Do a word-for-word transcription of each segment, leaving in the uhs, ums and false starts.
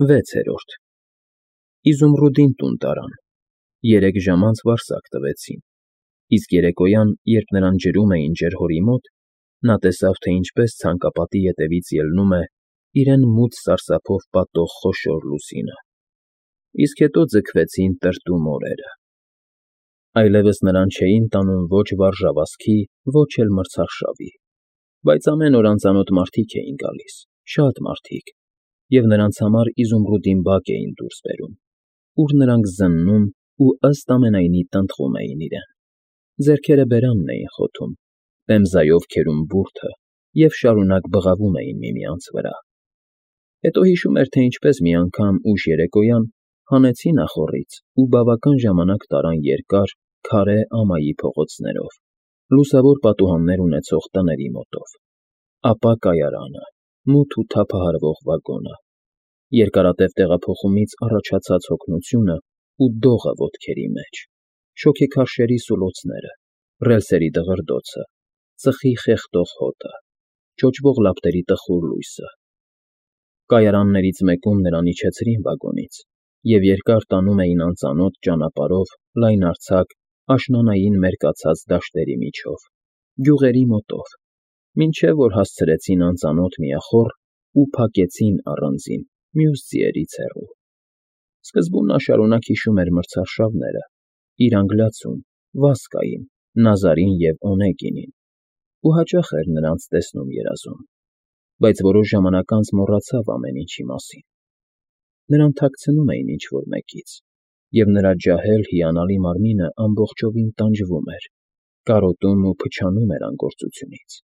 Վեցերորդ Իզումրուդին տուն տարան, երեք ժամ անց վարսակ տվեցին, իսկ երեկոյան, երբ նրան ջրում էին ջերհորի մոտ, նա տեսավ, թե ինչպես ցանկապատի ետևից ելնում է իրեն մութ սարսափով պատող խոշոր լուսինը, իսկ հետո ձգվեցին տրտում օրերը. այլևս նրան չէին տանում ոչ վարժավազքի, ոչ էլ մրցարշավի, բայց ամեն օր անծանոթ մարդիկ էին գալիս, շատ մարդիկ, և նրանց համար Իզումրուդին բակ էին դուրս բերում, ուր նրանք զննում ու ըստ ամենայնի տնտղում էին իրեն, ձեռքերը բերանն էին խոթում, պեմզայով քերում բուրդը և շարունակ բղավում էին միմյանց վրա. հետո հիշում էր, թե ինչպես մի անգամ ուշ երեկոյան հանեցին ախոռից ու բավական ժամանակ տարան երկար, քարե ամայի փողոցներով, լուսավոր պատուհաններ ունեցող տների մոտով, ապա կայարանը, մութ ու թափահարվող վագոնը, երկարատև տեղափոխումից առաջացած հոգնությունը ու դողը ոտքերի մեջ, շոգեքարշերի սուլոցները, ռելսերի դղրդոցը, ծխի խեղդող հոտը, չոճվող լապտերի տխուր լույսը. կայարաններից մեկում նրան իջեցրին վագոնից և երկար տանում էին անծանոթ ճանապարհով լայնարձակ, աշնանային մերկացած դաշտերի միջով, գյուղերի մոտով, մինչև որ հասցրեցին անծանոթ մի ախոռ ու փակեցին առանձին, մյուս ձիերից հեռու. սկզբում նա շարունակ հիշում էր մրցարշավները, իր անգլիացուն, Վասկային, Նազարին և Օնեգինին, ու հաճախ էր նրանց տեսնում երազում, բայց որոշ ժամանակ անց մոռացավ ամեն ինչի մասին. նրան թաքցնում էին ինչ֊որ մեկից, և նրա ջահել հիանալի մարմինը ամբողջովին տանջվում էր, կարոտում ու փչանում էր անգործությունից.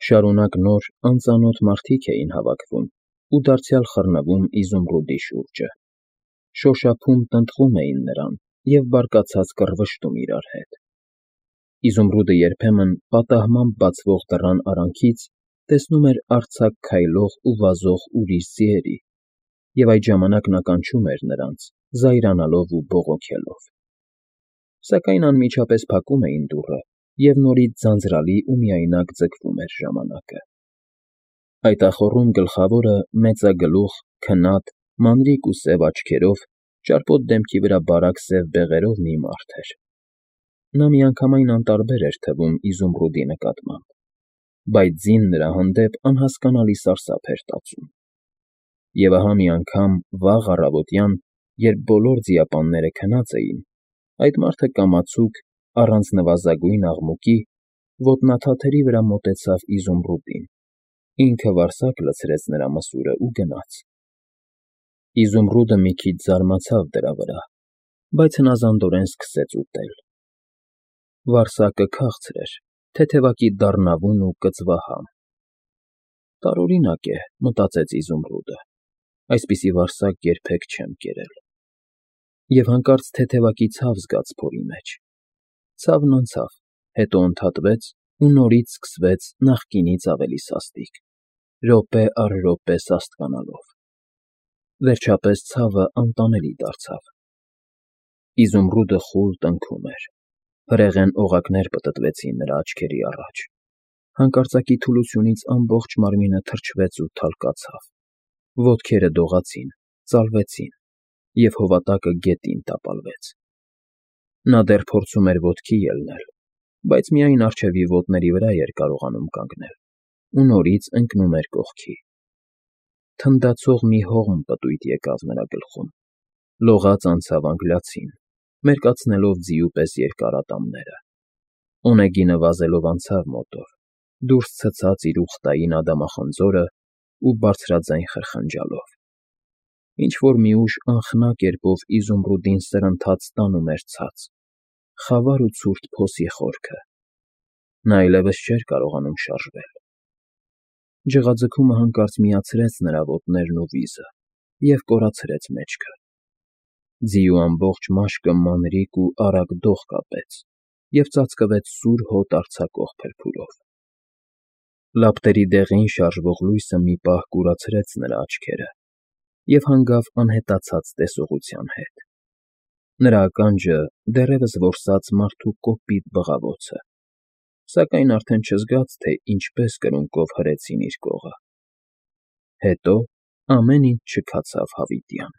շարունակ նոր, անծանոթ մարդիկ էին հավաքվում ու դարձյալ խռնվում Իզումրուդի շուրջը, շոշափում տնտղում էին նրան և բարկացած կռվշտում իրար հետ. Իզումրուդը երբեմն պատահմամբ բացվող դռան արանքից տեսնում էր արձակ քայլող ու վազող ուրիշ ձիերի, և այդ ժամանակ նա կանչում էր նրանց, զայրանալով ու բողոքելով. սակայն անմիջապես փակում էին դուռը, և նորից ձանձրալի ու միայնակ ձգվում էր ժամանակը. այդ ախոռում գլխավորը մեծագլուխ, քնած, մանրիկ ու սև աչքերով, ճարպոտ դեմքի վրա բարակ սև բեղերով մի մարդ էր. նա միանգամայն անտարբեր էր թվում Իզումրուդի նկատմամբ, բայց ձին նրա հանդեպ անհասկանալի սարսափ էր տածում. և ահա մի անգամ, վաղ առավոտյան, երբ բոլոր ձիապանները քնած էին, այդ մարդը կամացուկ, առանց նվազագույն աղմուկի, ոտնաթաթերի վրա մոտեցավ Իզումրուդին, ինքը վարսակ լցրեց նրա մսուրը ու գնաց. Իզումրուդը մի քիչ զարմացավ դրա վրա, բայց հնազանդորեն սկսեց ուտել. վարսակը քաղցր էր, թեթևակի դառնավուն ու կծվահամ. տարօրինակ է, մտածեց Իզումրուդը, այսպիսի վարսակ երբեք չեմ կերել. և հանկարծ թեթևակի ցավ զգաց փորի մեջ, ցավն անցավ, հետո ընդհատվեց ու նորից սկսվեց նախկինից ավելի սաստիկ, րոպե առ րոպե սաստկանալով. վերջապես ցավը անտանելի դարձավ. Իզումրուդը խուլ տնքում էր, հրեղեն օղակներ պտտվեցին նրա աչքերի առաջ, հանկարծակի թուլությունից ամբողջ մարմինը թրջվեց ու թալկացավ, ոտքերը դողացին, ծալվեցին, և հովատակը գետին տապալվեց. նա դեռ փորձում էր ոտքի ելնել, բայց միայն առջևի ոտների վրա էր կարողանում կանգնել ու նորից ընկնում էր կողքի. թնդացող մի հողմ պտույտ եկավ նրա գլխում, լողաց անցավ անգլիացին, մերկացնելով ձիու պես երկար ատամները, Օնեգինը վազելով անցավ մոտով, դուրս ցցած իր ուխտային ադամախնձորը ու բարձրաձայն խրխնջալով. ինչ֊որ մի ուժ անխնա կերպով Իզումրուդին սրընթաց տանում էր ցած, խավար ու ցուրտ փոսի խորքը. նա այլևս չէր կարողանում շարժվել. ջղաձգումը հանկարծ միացրեց նրա ոտներն ու վիզը և կորացրեց մեջքը. ձիու ամբողջ մաշկը մանրիկ ու արագ դող կապեց և ծածկվեց սուր հոտ արձակող փրփուրով. լապտերի դեղին շարժվող լույսը մի պահ կուրացրեց նրա աչքերը և հանգավ անհետացած տեսողության հետ. նրա ականջը դեռևս որսաց մարդու կոպիտ բղավոցը, սակայն արդեն չզգաց, թե ինչպես կրունկով հրեցին իր կողը. հետո Ամեն ինչ չքացավ հավիտյան։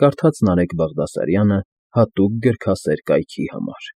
Կարդաց Նարեկ Բաղդասարյանը հատուկ գրքասեր կայքի համար։